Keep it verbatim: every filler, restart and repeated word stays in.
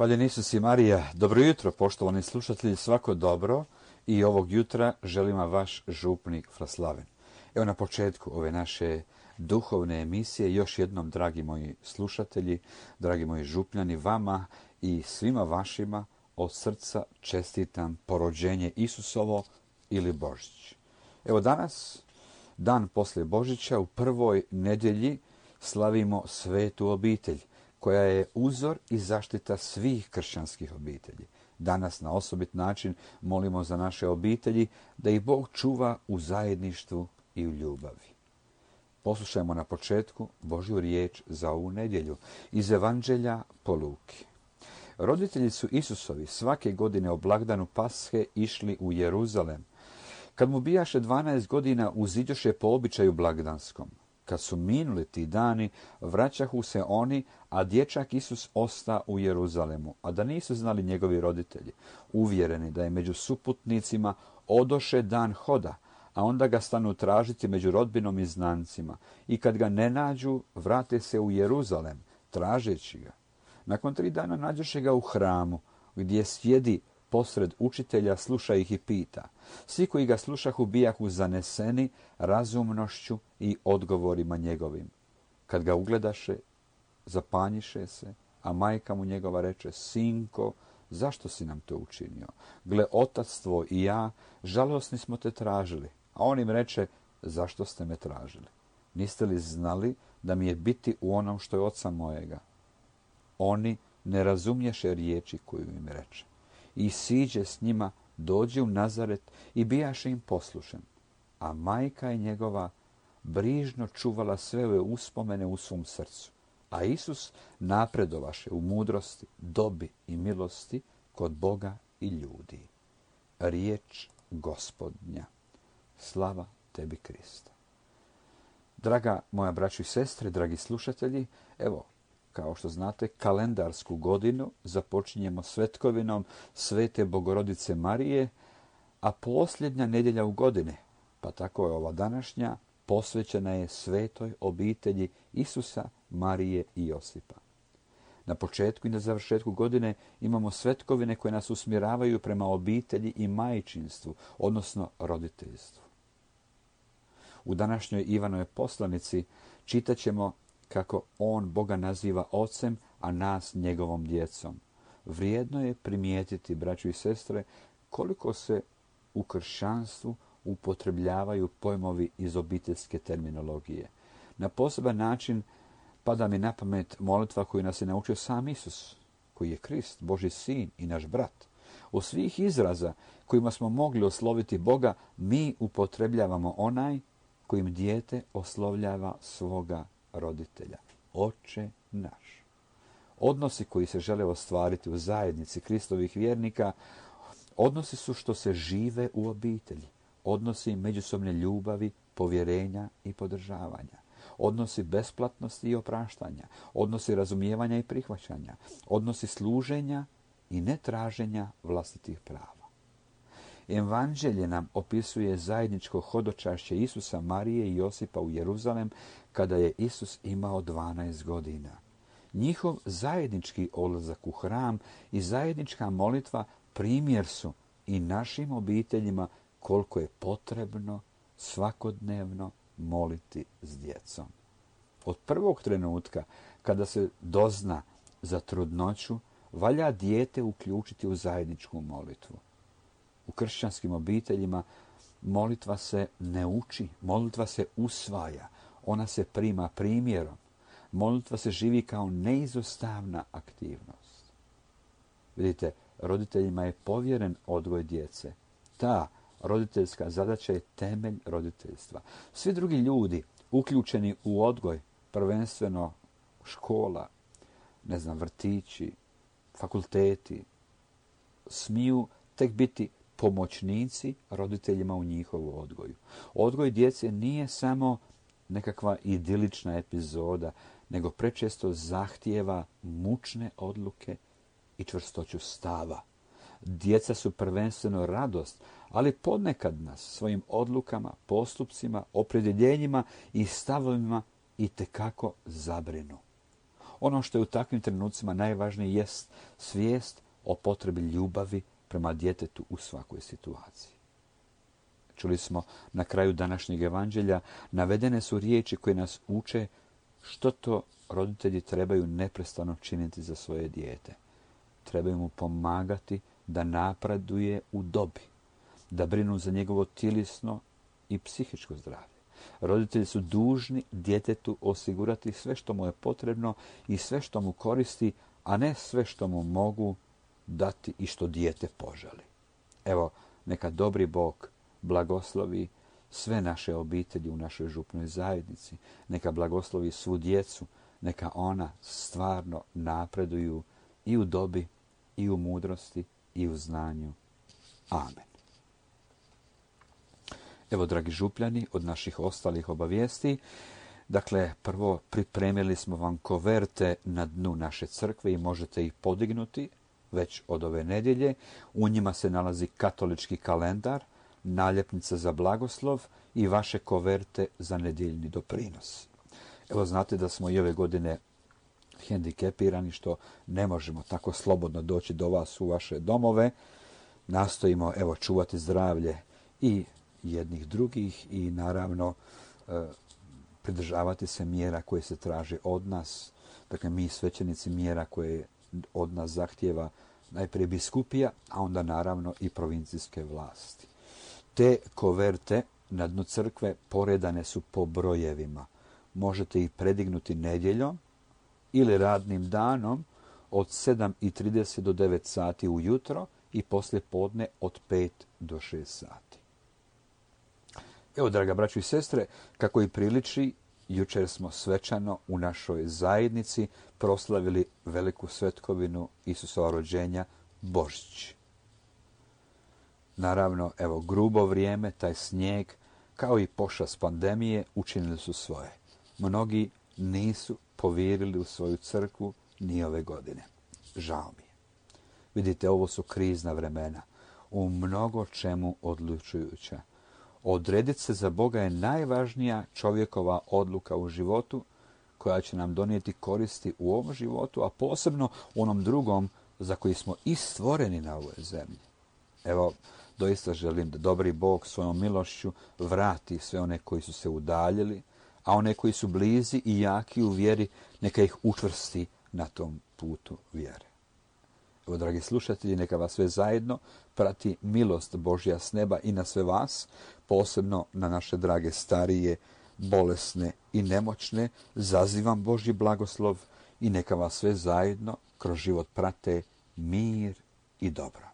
Hvaljen Isus i Marija. Dobro jutro, poštovani slušatelji, svako dobro. I ovog jutra želim vam vaš župnik Fraslaven. Evo na početku ove naše duhovne emisije još jednom, dragi moji slušatelji, dragi moji župljani, vama i svima vašima od srca čestitam porođenje Isusovo ili Božić. Evo danas, dan poslije Božića, u prvoj nedjelji slavimo svetu obitelj, koja je uzor i zaštita svih kršćanskih obitelji. Danas na osobit način molimo za naše obitelji da ih Bog čuva u zajedništvu i u ljubavi. Poslušajmo na početku Božju riječ za ovu nedjelju iz Evanđelja po Luki. Roditelji su Isusovi svake godine o blagdanu Pashe išli u Jeruzalem. Kad mu bijaše dvanaest godina, uziđoše po običaju blagdanskom. Kad su minuli ti dani, vraćahu se oni, a dječak Isus osta u Jeruzalemu, a da nisu znali njegovi roditelji, uvjereni da je među suputnicima odoše dan hoda, a onda ga stanu tražiti među rodbinom i znancima, i kad ga ne nađu, vrate se u Jeruzalem, tražeći ga. Nakon tri dana nađoše ga u hramu, gdje sjedi posred učitelja, sluša ih i pita. Svi koji ga slušahu bijahu zaneseni razumnošću i odgovorima njegovim. Kad ga ugledaše, zapanjiše se, a majka mu njegova reče: Sinko, zašto si nam to učinio? Gle, otac tvoj i ja žalosni smo te tražili. A on im reče: Zašto ste me tražili? Niste li znali da mi je biti u onom što je oca mojega? Oni ne razumješe riječi koju im reče. I siđe s njima, dođe u Nazaret i bijaše im poslušan. A majka je njegova brižno čuvala sve ove uspomene u svom srcu. A Isus napredovaše u mudrosti, dobi i milosti kod Boga i ljudi. Riječ Gospodnja. Slava tebi, Kriste. Draga moja braćo i sestre, dragi slušatelji, evo, kao što znate, kalendarsku godinu započinjemo svetkovinom Svete Bogorodice Marije, a posljednja nedjelja u godini, pa tako je ova današnja, posvećena je svetoj obitelji Isusa, Marije i Josipa. Na početku i na završetku godine imamo svetkovine koje nas usmjeravaju prema obitelji i majčinstvu, odnosno roditeljstvu. U današnjoj Ivanovoj poslanici čitat ćemo kako on Boga naziva ocem, a nas njegovom djecom. Vrijedno je primijetiti, braćo i sestre, koliko se u kršćanstvu upotrebljavaju pojmovi iz obiteljske terminologije. Na poseban način pada mi na pamet molitva koju nas je naučio sam Isus, koji je Krist, Božji sin i naš brat. U svih izraza kojima smo mogli osloviti Boga, mi upotrebljavamo onaj kojim dijete oslovljava svoga roditelja. Oče naš. Odnosi koji se žele ostvariti u zajednici Kristovih vjernika, odnosi su što se žive u obitelji. Odnosi međusobne ljubavi, povjerenja i podržavanja. Odnosi besplatnosti i opraštanja. Odnosi razumijevanja i prihvaćanja. Odnosi služenja i netraženja vlastitih prava. Evanđelje nam opisuje zajedničko hodočašće Isusa, Marije i Josipa u Jeruzalem kada je Isus imao dvanaest godina. Njihov zajednički odlazak u hram i zajednička molitva primjer su i našim obiteljima koliko je potrebno svakodnevno moliti s djecom. Od prvog trenutka kada se dozna za trudnoću, valja dijete uključiti u zajedničku molitvu. U kršćanskim obiteljima molitva se ne uči, molitva se usvaja, ona se prima primjerom. Molitva se živi kao neizostavna aktivnost. Vidite, roditeljima je povjeren odgoj djece. Ta roditeljska zadaća je temelj roditeljstva. Svi drugi ljudi uključeni u odgoj, prvenstveno škola, ne znam, vrtići, fakulteti, smiju tek biti pomoćnici roditeljima u njihovu odgoju. Odgoj djece nije samo nekakva idilična epizoda, nego prečesto zahtijeva mučne odluke i čvrstoću stava. Djeca su prvenstveno radost, ali ponekad nas svojim odlukama, postupcima, opredjeljenjima i stavovima itekako zabrinu. Ono što je u takvim trenucima najvažnije jest svijest o potrebi ljubavi prema djetetu u svakoj situaciji. Čuli smo na kraju današnjeg evanđelja, navedene su riječi koje nas uče što to roditelji trebaju neprestano činiti za svoje dijete. Trebaju mu pomagati da napreduje u dobi, da brinu za njegovo tjelesno i psihičko zdravlje. Roditelji su dužni djetetu osigurati sve što mu je potrebno i sve što mu koristi, a ne sve što mu mogu dati i što dijete poželi. Evo, neka dobri Bog blagoslovi sve naše obitelji u našoj župnoj zajednici. Neka blagoslovi svu djecu. Neka ona stvarno napreduju i u dobi, i u mudrosti, i u znanju. Amen. Evo, dragi župljani, od naših ostalih obavijesti. Dakle, prvo pripremili smo vam koverte na dnu naše crkve i možete ih podignuti već od ove nedjelje. U njima se nalazi katolički kalendar, naljepnica za blagoslov i vaše koverte za nedjeljni doprinos. Evo, znate da smo i ove godine hendikepirani, što ne možemo tako slobodno doći do vas u vaše domove. Nastojimo, evo, čuvati zdravlje i jednih drugih i naravno e, pridržavati se mjera koje se traže od nas. Dakle, mi svećenici mjera koje od nas zahtijeva najprije biskupija, a onda naravno i provincijske vlasti. Te koverte na dnu crkve poredane su po brojevima. Možete ih predignuti nedjeljom ili radnim danom od sedam i trideset do devet sati ujutro i poslije podne od pet do šest sati. Evo, draga braćo i sestre, kako i priliči, jučer smo svečano u našoj zajednici proslavili veliku svetkovinu Isusova rođenja, Božić. Naravno, evo, grubo vrijeme, taj snijeg, kao i pošast pandemije, učinili su svoje. Mnogi nisu povjerili u svoju crkvu ni ove godine. Žao mi je. Vidite, ovo su krizna vremena, u mnogo čemu odlučujuća. Odrediti se za Boga je najvažnija čovjekova odluka u životu, koja će nam donijeti koristi u ovom životu, a posebno u onom drugom za koji smo i stvoreni na ovoj zemlji. Evo, doista želim da dobri Bog svojom milošću vrati sve one koji su se udaljili, a one koji su blizi i jaki u vjeri, neka ih učvrsti na tom putu vjere. Evo, dragi slušatelji, neka vas sve zajedno prati milost Božja s neba i na sve vas, posebno na naše drage starije, bolesne i nemoćne. Zazivam Božji blagoslov i neka vas sve zajedno kroz život prate mir i dobro.